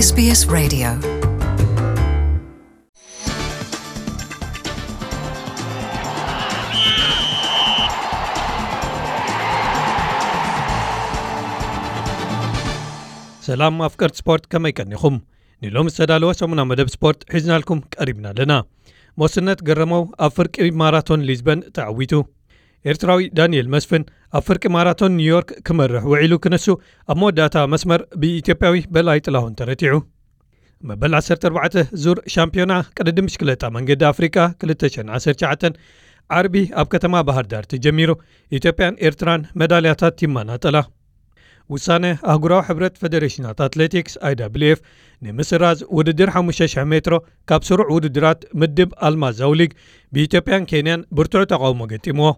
S B S Radio. ሰላም ኣፍቀርቲ ስፖርት፣ ከመይ ቀኒኹም? ንሎሚ ዝተዳለወ ሰሙና መደብ ስፖርት ሒዝናልኩም ቀሪብና ኣለና። ሞስነት ገረመው ኣብ ፍርቂ ማራቶን ሊዝበን ተዓዊቱ። ኤርትራዊ ዳንኤል መስፍን ኣብ ፍርቂ ማራቶን ኒውዮርክ ክመርሕ ውዒሉ ክንሱ፣ ኣብ መወዳእታ መስመር ብኢትዮጵያዊ በላይ ጥላሁን ተረቲዑ። መበል ዓሰርተ ኣርባዕተ ዙር ሻምፒዮና ቅድድም ብሽክለታ መንገዲ ኣፍሪቃ ክልተ ሽሕን ዓሰርተ ትሽዓተን ዓርቢ ኣብ ከተማ ባህር ዳር ተጀሚሩ፣ ኢትዮጵያን ኤርትራን መዳልያታት ይመናጠላ። ውሳነ ኣህጉራዊ ሕብረት ፈደሬሽናት ኣትሌቲክስ፣ ኣይ ደብሊው ኤፍ፣ ንምስራዝ ውድድር ሓሙሽተ ሽሕ ሜትሮ ካብ ስሩዕ ውድድራት ምድብ ኣልማዝ ኣውሊግ ብኢትዮጵያን ኬንያን ብርቱዕ ተቓውሞ ገጢምዎ።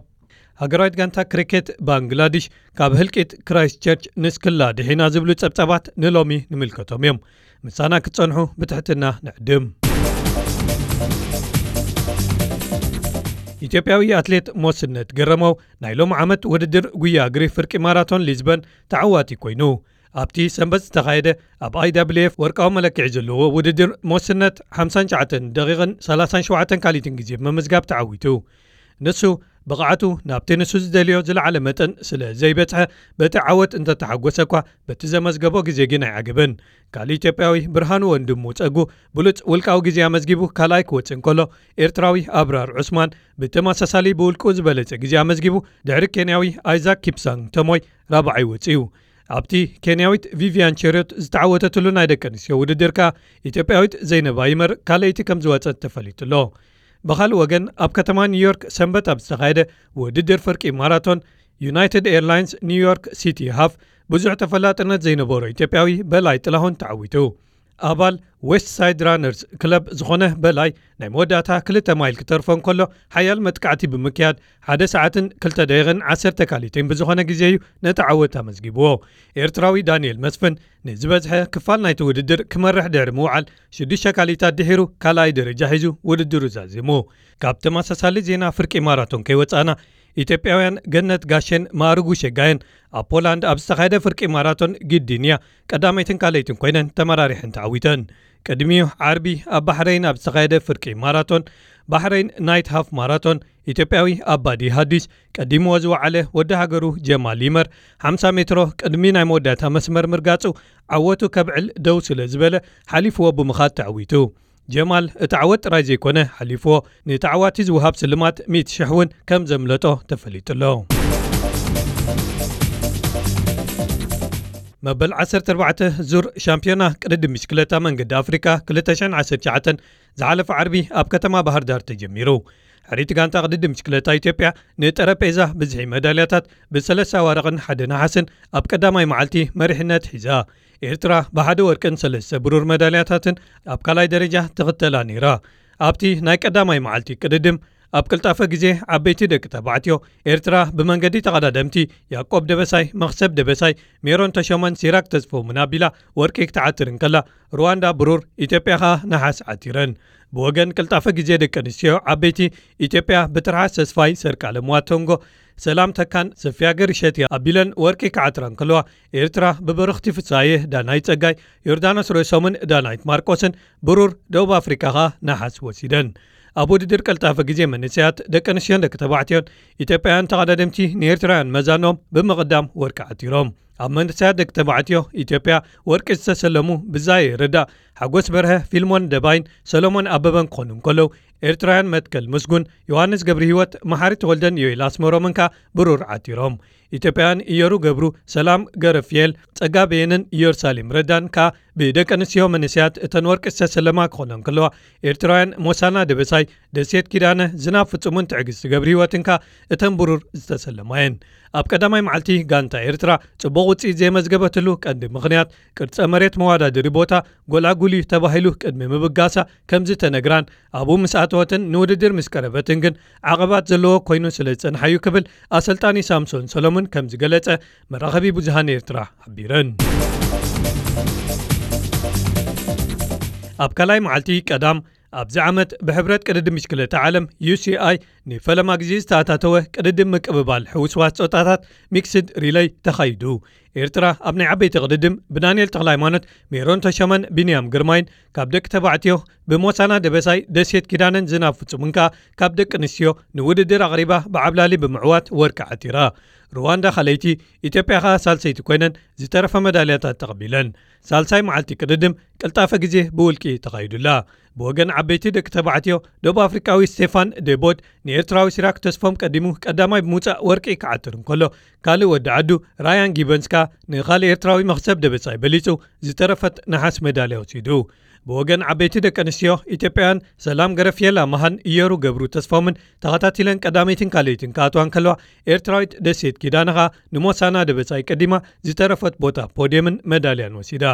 ሃገራዊት ጋንታ ክሪኬት ባንግላዲሽ ካብ ህልቂት ክራይስት ቸርች ንስክላ ድሒና ዝብሉ ጸብጻባት ንሎሚ ንምልከቶም እዮም። ምሳና ክትጸንሑ ብትሕትና ንዕድም። ኢትዮጵያዊ ኣትሌት ሞስነት ገረመው ናይ ሎም ዓመት ውድድር ጉያ እግሪ ፍርቂ ማራቶን ሊዝበን ተዓዋቲ ኮይኑ። ኣብቲ ሰንበት ዝተኻየደ ኣብ ኣይ ደብሊው ኤፍ ወርቃዊ መለክዒ ዘለዎ ውድድር ሞስነት ሓምሳን ትሽዓተን ደቂቕን ሰላሳን ሸውዓተን ካሊትን ግዜ ብምምዝጋብ ተዓዊቱ። ንሱ ብቕዓቱ ናብቲ ንሱ ዝደልዮ ዝለዓለ መጠን ስለ ዘይበጽሐ፣ በቲ ዓወት እንተተሓጎሰ እኳ፣ በቲ ዘመዝገቦ ግዜ ግን ኣይዓገበን። ካልእ ኢትዮጵያዊ ብርሃኑ ወንድሙ ጸጉ ብሉጽ ውልቃዊ ግዜ ኣመዝጊቡ ካልኣይ ክወጽእ እንከሎ፣ ኤርትራዊ ኣብራር ዑስማን ብተመሳሳሊ ብውልቁ ዝበለጸ ግዜ ኣመዝጊቡ ድሕሪ ኬንያዊ ኣይዛክ ኪፕሳንግ ተሞይ ራብዓይ ወጽኡ። ኣብቲ ኬንያዊት ቪቪያን ቸሪዮት ዝተዓወተትሉ ናይ ደቂ ኣንስትዮ ውድድር ከኣ ኢትዮጵያዊት ዘይነብ ኣይመር ካልኣይቲ ከም ዝወጸት ተፈሊጡ ኣሎ። ብኻልእ ወገን ኣብ ከተማ ኒውዮርክ ሰንበት ኣብ ዝተኻየደ ውድድር ፍርቂ ማራቶን ዩናይትድ ኤርላይንስ ኒውዮርክ ሲቲ ሃፍ ብዙሕ ተፈላጥነት ዘይነበሮ ኢትዮጵያዊ በላይ ጥላሁን ተዓዊቱ። ኣባል ዌስት ሳይድ ራነርስ ክለብ ዝኾነ በላይ ናይ መወዳእታ ክልተ ማይል ክተርፎ እንከሎ ሓያል መጥቃዕቲ ብምክያድ ሓደ ሰዓትን ክልተ ደቂቕን ዓሰርተ ካሊትን ብዝኾነ ግዜ እዩ ነቲ ዓወት ኣመዝጊብዎ። ኤርትራዊ ዳንኤል መስፍን ንዝበዝሐ ክፋል ናይቲ ውድድር ክመርሕ ድሕሪ ምውዓል ሽዱሽተ ካሊታት ድሒሩ ካልኣይ ደረጃ ሒዙ ውድድሩ ዛዚሙ። ካብ ተመሳሳሊ ዜና ፍርቂ ማራቶን ከይወጻና ኢትዮጵያውያን ገነት ጋሼን ማእርጉ ሸጋየን ኣብ ፖላንድ ኣብ ዝተኻየደ ፍርቂ ማራቶን ግዲንያ ቀዳመይትን ካልኣይትን ኮይነን ተመራሪሐን ተዓዊተን። ቅድሚኡ ዓርቢ ኣብ ባሕረይን ኣብ ዝተኻየደ ፍርቂ ማራቶን ባሕረይን ናይት ሃፍ ማራቶን ኢትዮጵያዊ ኣባዲ ሃዲስ ቀዲምዎ ዝወዓለ ወዲ ሃገሩ ጀማል ይመር ሓምሳ ሜትሮ ቅድሚ ናይ መወዳእታ መስመር ምርጋጹ ዓወቱ ከብዕል ደው ስለ ዝበለ ሓሊፍዎ ብምኻድ ተዓዊቱ። ጀማል እቲ ዓወት ጥራይ ዘይኮነ ሓሊፍዎ ንተዓዋቲ ዝወሃብ ስልማት ሚእቲ ሽሕ እውን ከም ዘምለጦ ተፈሊጡ ኣሎ። መበል ዓሰርተ ኣርባዕተ ዙር ሻምፒዮና ቅድድም ብሽክለታ መንገዲ ኣፍሪካ ክልተ ሽሕን ዓሰርተ ትሽዓተን ዝሓለፈ ዓርቢ ኣብ ከተማ ባህር ዳር ተጀሚሩ። ሕሪት ጋንታ ቅድድም ብሽክለታ ኢትዮጵያ ንጠረጴዛ ብዝሒ መዳልያታት ብሰለስተ ኣዋርቕን ሓደ ነሓስን ኣብ ቀዳማይ መዓልቲ መሪሕነት ሒዛ። ኤርትራ ብሓደ ወርቅን ሰለስተ ብሩር መዳልያታትን ኣብ ካልኣይ ደረጃ ትኽተላ ነይራ። ኣብቲ ናይ ቀዳማይ መዓልቲ ቅድድም ኣብ ቅልጣፈ ግዜ ዓበይቲ ደቂ ተባዕትዮ ኤርትራ ብመንገዲ ተቐዳደምቲ ያዕቆብ ደበሳይ፣ መኽሰብ ደበሳይ፣ ሜሮን ተሾመን ሲራክ ተስፎምን ኣቢላ ወርቂ ክትዓትር እንከላ፣ ሩዋንዳ ብሩር፣ ኢትዮጵያ ኸኣ ነሓስ ዓቲረን። ብወገን ቅልጣፈ ግዜ ደቂ ኣንስትዮ ዓበይቲ ኢትዮጵያ ብትርሓስ ተስፋይ፣ ሰርቃለም ዋቶንጎ፣ ሰላም ተካን ሰፊያ ገሪሸት ኣቢለን ወርቂ ክዓትራ እንከለዋ፣ ኤርትራ ብበረኽቲ ፍሳየ፣ ዳናይት ጸጋይ፣ ዮርዳኖስ ርእሶምን ዳናይት ማርቆስን ብሩር፣ ደቡብ ኣፍሪካ ኸኣ ነሓስ ወሲደን። ኣብ ውድድር ቀልጣፈ ግዜ መንእሰያት ደቂ ኣንስትዮን ደቂ ተባዕትዮን ኢትዮጵያውያን ተቐዳደምቲ ንኤርትራውያን መዛኖም ብምቕዳም ወርቂ ዓቲሮም። ኣብ መንእሰያት ደቂ ተባዕትዮ ኢትዮጵያ ወርቂ ዝተሰለሙ ብዛየ ረዳእ፣ ሓጎስ በርሀ፣ ፊልሞን ደባይን ሰሎሞን ኣበበን ክኾኑ እንከለዉ፣ ኤርትራውያን መትከል ምስጉን፣ ዮሃንስ ገብረህይወት፣ መሓሪ ተወልደን ዮኤል ኣስመሮምን ከኣ ብሩር ዓቲሮም። ኢትዮጵያውያን እየሩ ገብሩ፣ ሰላም ገረፍየል፣ ጸጋ በየንን ኢየሩሳሌም ረዳን ከኣ ብደቂ ኣንስትዮ መንእሰያት እተን ወርቂ ዝተሰለማ ክኾና እንከለዋ፣ ኤርትራውያን ሞሳና ደበሳይ፣ ደሴት ኪዳነ፣ ዝናብ ፍጹምን ትዕግስቲ ገብረህይወትን ከኣ እተን ብሩር ዝተሰለማ እየን። ኣብ ቀዳማይ መዓልቲ ጋንታ ኤርትራ ጽቡቕ ውጽኢት ዘየመዝገበትሉ ቀንዲ ምኽንያት ቅርጸ መሬት መወዳደሪ ቦታ ጎላጉል እዩ ተባሂሉ ቅድሚ ምብጋሳ ከም ዝተነግራን ኣብኡ ምስ ኣተወትን ንውድድር ምስ ቀረበትን ግን ዓቐባት ዘለዎ ኮይኑ ስለ ዝጸንሓ እዩ ክብል ኣሰልጣኒ ሳምሶን ሰሎሞን ከም ዝገለጸ መራኸቢ ብዙሃን ኤርትራ ሓቢረን። ኣብ ካልኣይ መዓልቲ ቀዳም ኣብዚ ዓመት ብሕብረት ቅድድም ብሽክለታ ዓለም ዩ ሲ ኣይ ንፈለማ ግዜ ዝተኣታተወ ቅድድም ምቅብባል ሕውስዋስ ጾታታት ሚክስድ ሪለይ ተኻይዱ። ኤርትራ ኣብ ናይ ዓበይቲ ቅድድም ብዳንኤል ተኽለሃይማኖት፣ ሜሮን ተሾመን ቢንያም ግርማይን፣ ካብ ደቂ ተባዕትዮ ብሞሳና ደበሳይ፣ ደሴት ኪዳነን ዝናብ ፍጹምን ከኣ ካብ ደቂ ኣንስትዮ ንውድድር ኣቕሪባ ብዓብላሊ ብምዕዋት ወርቂ ዓቲራ። ሩዋንዳ ካልኣይቲ፣ ኢትዮጵያ ከኣ ሳልሰይቲ ኮይነን ዝተረፈ መዳልያታት ተቐቢለን። ሳልሳይ መዓልቲ ቅድድም ቅልጣፈ ግዜ ብውልቂ ተኻይዱላ። ብወገን ዓበይቲ ደቂ ተባዕትዮ፣ ደቡብ ኣፍሪቃዊ ስቴፋን ዴቦት ንኤርትራዊ ሲራክ ተስፎም ቀዲሙ ቀዳማይ ብምውጻእ ወርቂ ክዓትር እንከሎ፣ ካልእ ወዲ ዓዱ ራያን ጊበንስ ከኣ ንኻልእ ኤርትራዊ መኽሰብ ደበሳይ በሊጹ ዝተረፈት ነሓስ ሜዳልያ ወሲዱ። ብወገን ዓበይቲ ደቂ ኣንስትዮ፣ ኢትዮጵያውያን ሰላም ገረፍየላ መሃን፣ እየሩ ገብሩ ተስፎምን ተኸታቲለን ቀዳመይትን ካልኣይትን ክኣትዋ እንከለዋ፣ ኤርትራዊት ደሴት ኪዳነ ከኣ ንሞሳና ደበሳይ ቀዲማ ዝተረፈት ቦታ ፖድየምን መዳልያን ወሲዳ።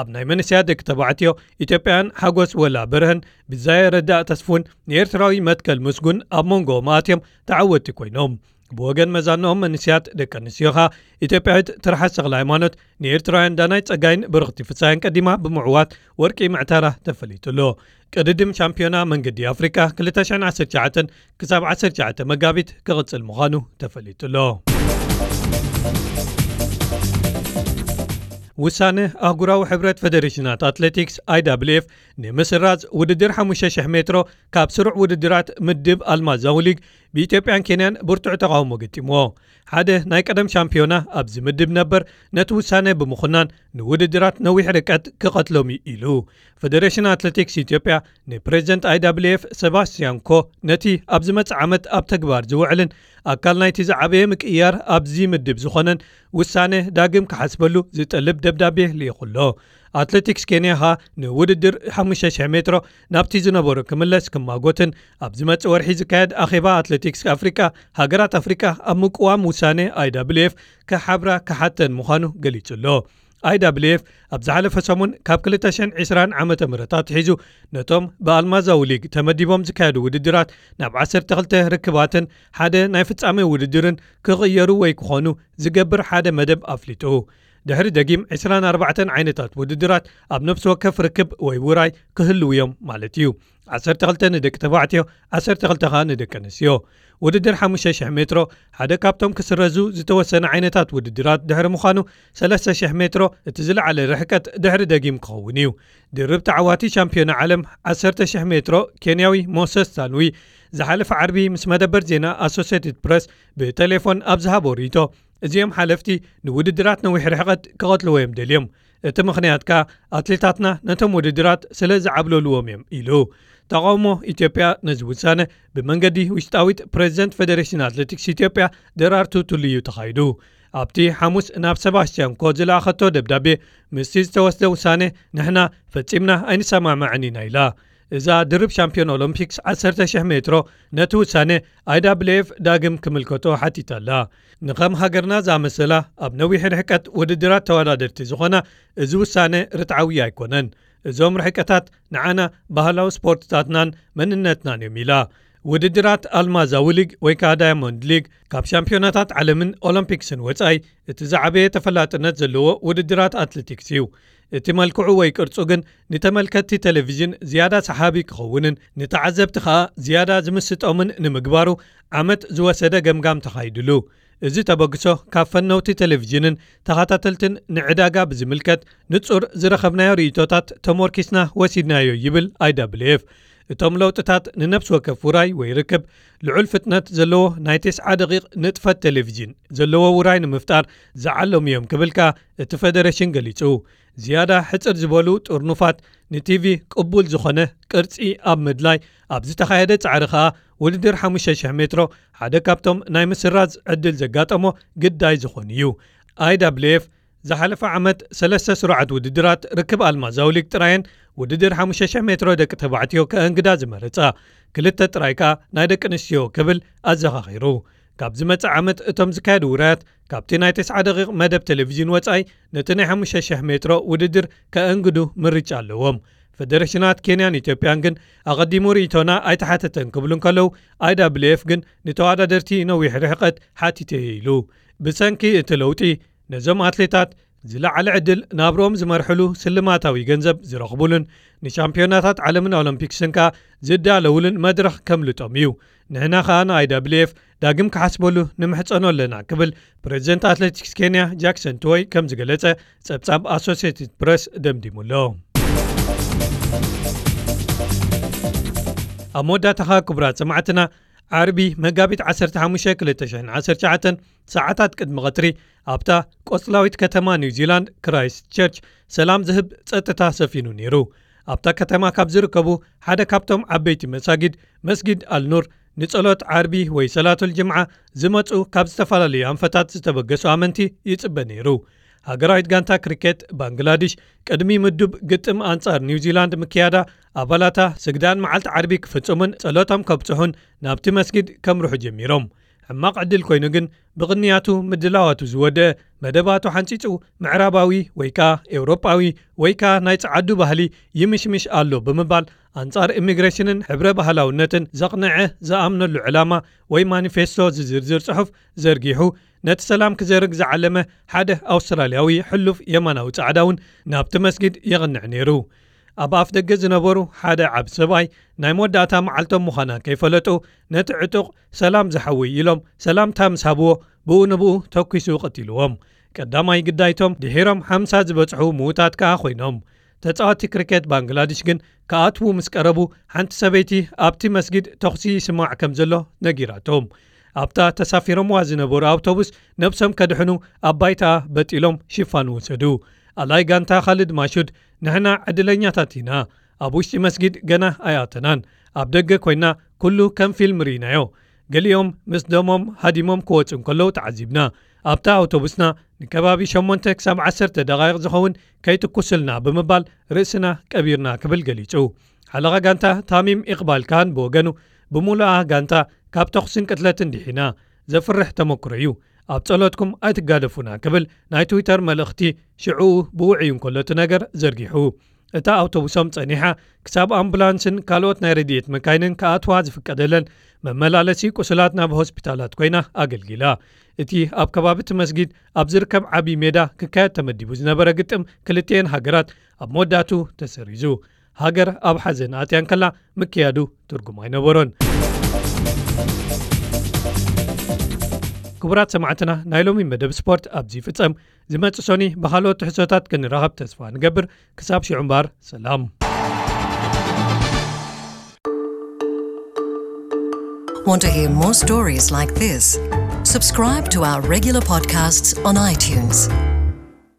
ኣብ ናይ መንእሰያት ደቂ ተባዕትዮ፣ ኢትዮጵያውያን ሓጎስ ወላ በርሀን ብዛየ ረዳእ ተስፉን ንኤርትራዊ መትከል ምስጉን ኣብ መንጎኦም ኣትዮም ተዓወትቲ ኮይኖም። ብወገን መዛንኦም መንእሰያት ደቂ ኣንስትዮ ከኣ፣ ኢትዮጵያዊት ትርሓስ ተኽለ ሃይማኖት ንኤርትራውያን ዳናይ ጸጋይን ብርኽቲ ፍሳየን ቀዲማ ብምዕዋት ወርቂ ምዕታራ ተፈሊጡ ኣሎ። ቅድድም ሻምፒዮና መንገዲ ኣፍሪቃ ክልተ ሽሕን ዓሰርተ ትሽዓተን ክሳብ ዓሰርተ ትሽዓተ መጋቢት ክቕጽል ምዃኑ ተፈሊጡ ኣሎ። ውሳነ ኣህጉራዊ ሕብረት ፈደሬሽናት ኣትሌቲክስ፣ ኣይ ዳብልዩ ኤፍ፣ ንምስራዝ ውድድር ሓሙሽተ ሽሕ ሜትሮ ካብ ስሩዕ ውድድራት ምድብ ኣልማዝ ዛውሊግ ብኢትዮጵያን ኬንያን ብርቱዕ ተቓውሞ ገጢምዎ። ሓደ ናይ ቀደም ሻምፒዮና ኣብዚ ምድብ ነበር ነቲ ውሳነ ብምኹናን፣ ንውድድራት ነዊሕ ርቀት ክቐትሎም እዩ ኢሉ። ፈደሬሽን ኣትሌቲክስ ኢትዮጵያ ንፕሬዚደንት ኣይ ዳብልዩ ኤፍ ሰባስቲያን ኮ፣ ነቲ ኣብ ዝመጽእ ዓመት ኣብ ተግባር ዝውዕልን ኣካል ናይቲ ዝዓበየ ምቅይያር ኣብዚ ምድብ ዝኾነን ውሳነ ዳግም ክሓስበሉ ዝጠልብ ደብዳቤ ልኢኹ ኣሎ። ኣትሌቲክስ ኬንያ ኸኣ ንውድድር ሓሙሽተ ሽሕ ሜትሮ ናብቲ ዝነበሮ ክምለስ ክማጎትን፣ ኣብ ዝመጽእ ወርሒ ዝካየድ ኣኼባ ኣትሌቲክስ ኣፍሪቃ፣ ሃገራት ኣፍሪቃ ኣብ ምቅዋም ውሳነ ኣይ ዳብልዩ ኤፍ ክሓብራ ክሓተን ምዃኑ ገሊጹ ኣሎ። ኣይ ዳብልዩ ኤፍ ኣብ ዝሓለፈ ሰሙን ካብ ክልተ ሽሕን ዕስራን ዓመተ ምህረት ኣትሒዙ ነቶም ብኣልማዛዊ ሊግ ተመዲቦም ዝካየዱ ውድድራት ናብ ዓሰርተ ክልተ ርክባትን ሓደ ናይ ፍጻሜ ውድድርን ክቕየሩ ወይ ክኾኑ ዝገብር ሓደ መደብ ኣፍሊጡ። ድሕሪ ደጊም ዕስራን ኣርባዕተን ዓይነታት ውድድራት ኣብ ነፍሲ ወከፍ ርክብ ወይ ውራይ ክህልዉ እዮም ማለት እዩ። ዓሰርተ ክልተ ንደቂ ተባዕትዮ፣ ዓሰርተ ክልተ ከኣ ንደቂ ኣንስትዮ። ውድድር ሓሙሽተ ሽሕ ሜትሮ ሓደ ካብቶም ክስረዙ ዝተወሰነ ዓይነታት ውድድራት ድሕሪ ምዃኑ፣ ሰለስተ ሽሕ ሜትሮ እቲ ዝለዓለ ርሕቀት ድሕሪ ደጊም ክኸውን እዩ። ድርብ ተዓዋቲ ሻምፒዮና ዓለም ዓሰርተ ሽሕ ሜትሮ ኬንያዊ ሞሰስ ሳንዊ ዝሓለፈ ዓርቢ ምስ መደበር ዜና ኣሶሴትድ ፕረስ ብቴሌፎን ኣብ ዝሃቦ ርእይቶ፣ እዚኦም ሓለፍቲ ንውድድራት ነዊሕ ርሕቀት ክቐትልዎ እዮም ደልዮም። እቲ ምኽንያት ከኣ ኣትሌታትና ነቶም ውድድራት ስለ ዝዓብለልዎም እዮም ኢሉ። ተቓውሞ ኢትዮጵያ ነዚ ውሳነ ብመንገዲ ውሽጣዊት ፕሬዚደንት ፌዴሬሽን ኣትሌቲክስ ኢትዮጵያ ደራርቱ ቱሉ እዩ ተኻይዱ። ኣብቲ ሓሙስ ናብ ሰባስቲያን ኮ ዝለኣኸቶ ደብዳቤ፣ ምስቲ ዝተወስደ ውሳነ ንሕና ፈጺምና ኣይንሰማማዕን ኢና ኢላ። እዛ ድርብ ሻምፒዮን ኦሎምፒክስ ዓሰርተ ሽሕ ሜትሮ ነቲ ውሳነ ኣይ ዳብልዩ ኤፍ ዳግም ክምልከቶ ሓቲታ ኣላ። ንኸም ሃገርና ዝኣመሰላ ኣብ ነዊሕ ርሕቀት ውድድራት ተወዳደርቲ ዝኾና፣ እዚ ውሳነ ርትዓዊ ኣይኮነን። እዞም ርሕቀታት ንዓና ባህላዊ ስፖርትታትናን መንነትናን እዮም ኢላ። ውድድራት ኣልማዝ ኣውሊግ ወይ ከኣ ዳያሞንድ ሊግ ካብ ሻምፒዮናታት ዓለምን ኦሎምፒክስን ወጻኢ እቲ ዝዓበየ ተፈላጥነት ዘለዎ ውድድራት ኣትሌቲክስ እዩ። እቲ መልክዑ ወይ ቅርጹ ግን ንተመልከትቲ ቴሌቪዥን ዝያዳ ሰሓቢ ክኸውንን ንተዓዘብቲ ከኣ ዝያዳ ዝምስጦምን ንምግባሩ ዓመት ዝወሰደ ገምጋም ተኻይድሉ። እዚ ተበግሶ ካብ ፈነውቲ ቴሌቪዥንን ተኸታተልትን ንዕዳጋ ብዝምልከት ንጹር ዝረኸብናዮ ርእይቶታት ተሞርኪስና ወሲድናዮ ይብል ኣይ ዳብልዩ ኤፍ። እቶም ለውጥታት ንነፍሲ ወከፍ ውራይ ወይ ርክብ ልዑል ፍጥነት ዘለዎ ናይ ተስዓ ደቂቕ ንጥፈት ቴሌቪዥን ዘለዎ ውራይ ንምፍጣር ዝዓለሙ እዮም ክብል ከኣ እቲ ፌደሬሽን ገሊጹ። ዝያዳ ሕጽር ዝበሉ ጥርኑፋት ንቲቪ ቅቡል ዝኾነ ቅርጺ ኣብ ምድላይ ኣብ ዝተኻየደ ጻዕሪ ከኣ ውድድር ሓሙሽተ ሽሕ ሜትሮ ሓደ ካብቶም ናይ ምስራዝ ዕድል ዘጋጠሞ ግዳይ ዝኾኑ እዩ። ኣይ ዳብልዩ ኤፍ ዝሓለፈ ዓመት ሰለስተ ስሩዓት ውድድራት ርክብ ኣልማዝ ኣውሊግ ጥራየን ውድድር ሓሙሽተ ሽሕ ሜትሮ ደቂ ተባዕትዮ ከእንግዳ ዝመረጻ፣ ክልተ ጥራይ ከኣ ናይ ደቂ ኣንስትዮ ክብል ኣዘኻኺሩ። ካብ ዝመጽእ ዓመት እቶም ዝካየዱ ውራያት ካብቲ ናይ ተስዓ ደቂቕ መደብ ቴሌቪዥን ወጻኢ ነቲ ናይ ሓሙሽተ ሽሕ ሜትሮ ውድድር ከእንግዱ ምርጫ ኣለዎም። ፌደሬሽናት ኬንያን ኢትዮጵያን ግን ኣቐዲሙ ርእይቶና ኣይተሓተተን ክብሉ እንከለዉ፣ ኣይ ዳብልዩ ኤፍ ግን ንተወዳደርቲ ነዊሕ ርሕቀት ሓቲተ እየ ኢሉ። ብሰንኪ እቲ ለውጢ ነዞም ኣትሌታት ዝለዓለ ዕድል ናብርኦም ዝመርሕሉ ስልማታዊ ገንዘብ ዝረኽቡሉን ንሻምፒዮናታት ዓለምን ኦሎምፒክስን ከኣ ዝዳለውሉን መድረኽ ከምልጦም እዩ። ንሕና ከኣ ንኣይ ዳብልዩ ኤፍ ዳግም ክሓስበሉ ንምሕጸኖ ኣለና ክብል ፕሬዚደንት ኣትሌቲክስ ኬንያ ጃክሰን ትወይ ከም ዝገለጸ ጸብጻብ ኣሶሲየትድ ፕረስ ደምዲሙ ኣሎ። ኣብ መወዳእታኻ ክቡራት ሰማዕትና፣ ዓርቢ መጋቢት ዓሰርተ ሓሙሽተ ክልተ ሽሕን ዓሰርተ ትሽዓተን ሰዓታት ቅድሚ ቀትሪ ኣብታ ቆጽላዊት ከተማ ኒውዚላንድ ክራይስት ቸርች ሰላም ዝህብ ጸጥታ ሰፊኑ ነይሩ። ኣብታ ከተማ ካብ ዝርከቡ ሓደ ካብቶም ዓበይቲ መሳጊድ መስጊድ ኣልኑር ንጸሎት ዓርቢ ወይ ሰላቱል ጅምዓ ዝመጹ ካብ ዝተፈላለዩ ኣንፈታት ዝተበገሱ ኣመንቲ ይጽበ ነይሩ። ሃገራዊት ጋንታ ክሪኬት ባንግላድሽ ቅድሚ ምዱብ ግጥም ኣንጻር ኒውዚላንድ ምክያዳ ኣባላታ ስግዳን መዓልቲ ዓርቢ ክፍጽሙን ጸሎቶም ከብጽሑን ናብቲ መስጊድ ከምርሑ ጀሚሮም። ሕማቕ ዕድል ኮይኑ ግን ብቕንያቱ ምድላዋቱ ዝወደአ መደባቱ ሓንጺጹ ምዕራባዊ ወይ ከኣ ኤውሮጳዊ ወይ ከኣ ናይ ጸዓዱ ባህሊ ይምሽምሽ ኣሎ ብምባል ኣንጻር ኢሚግሬሽንን ሕብረ ባህላውነትን ዘቕንዐ ዝኣምነሉ ዕላማ ወይ ማኒፌስቶ ዝዝርዝር ጽሑፍ ዘርጊሑ ነቲ ሰላም ክዘርግ ዝዓለመ ሓደ ኣውስትራልያዊ ሕሉፍ የማናዊ ጻዕዳ እውን ናብቲ መስጊድ የቕንዕ ነይሩ። ኣብ ኣፍ ደገ ዝነበሩ ሓደ ዓቢ ሰብኣይ ናይ መወዳእታ መዓልቶም ምዃና ከይፈለጡ ነቲ ዕጡቕ ሰላም ዝሓወይ ኢሎም ሰላምታ ምስ ሃብዎ ብኡ ንብኡ ተኲሱ ቀቲልዎም። ቀዳማይ ግዳይቶም ድሒሮም ሓምሳ ዝበጽሑ ምዉታት ከኣ ኮይኖም። ተጻወቲ ክሪኬት ባንግላድሽ ግን ክኣትዉ ምስ ቀረቡ ሓንቲ ሰበይቲ ኣብቲ መስጊድ ተኹሲ ይስማዕ ከም ዘሎ ነጊራቶም። ኣብታ ተሳፊሮምዋ ዝነበሩ ኣውቶቡስ ነብሶም ከድሕኑ ኣብ ባይታ በጢሎም ሽፋን ወሰዱ። ኣላይ ጋንታ ካልድ ማሹድ ንሕና ዕድለኛታት ኢና፣ ኣብ ውሽጢ መስጊድ ገና ኣይኣተናን፣ ኣብ ደገ ኮይና ኩሉ ከም ፊልም ርኢናዮ። ገሊኦም ምስ ደሞም ሃዲሞም ክወጹ እንከለዉ ተዓዚብና። ኣብታ ኣውቶቡስና ንከባቢ ሸሞንተ ክሳብ ዓሰርተ ደቓይቕ ዝኸውን ከይትኩስልና ብምባል ርእስና ቀቢርና ክብል ገሊጹ። ሓለቓ ጋንታ ታሚም ኢቕባል ካን ብወገኑ ብምሉኣ ጋንታ ካብ ተኹስን ቅትለትን ድሒና፣ ዘፍርሕ ተመክሮ እዩ፣ ኣብ ጸሎትኩም ኣይትጋደፉና ክብል ናይ ትዊተር መልእኽቲ ሽዑኡ ብውዕዩ እንከሎ እቲ ነገር ዘርጊሑ። እታ ኣውቶቡሶም ጸኒሓ ክሳብ ኣምቡላንስን ካልኦት ናይ ረድኤት መካይንን ክኣትዋ ዝፍቀደለን መመላለሲ ቁስላት ናብ ሆስፒታላት ኮይና ኣገልጊላ። እቲ ኣብ ከባቢ እቲ መስጊድ ኣብ ዝርከብ ዓቢ ሜዳ ክካየድ ተመዲቡ ዝነበረ ግጥም ክልቲኤን ሃገራት ኣብ መወዳእቱ ተሰሪዙ። ሃገር ኣብ ሓዘን ኣትያ እንከላ ምክያዱ ትርጉም ኣይነበሮን። ክቡራት ሰማዕትና፣ ናይ ሎሚ መደብ ስፖርት ኣብዚ ይፍጸም። ዝመጽእ ሶኒ ብኻልኦት ትሕዝቶታት ክንራኸብ ተስፋ ንገብር። ክሳብ ሽዑ እምበኣር ሰላም። Want to hear more stories like this? Subscribe to our regular podcasts on iTunes.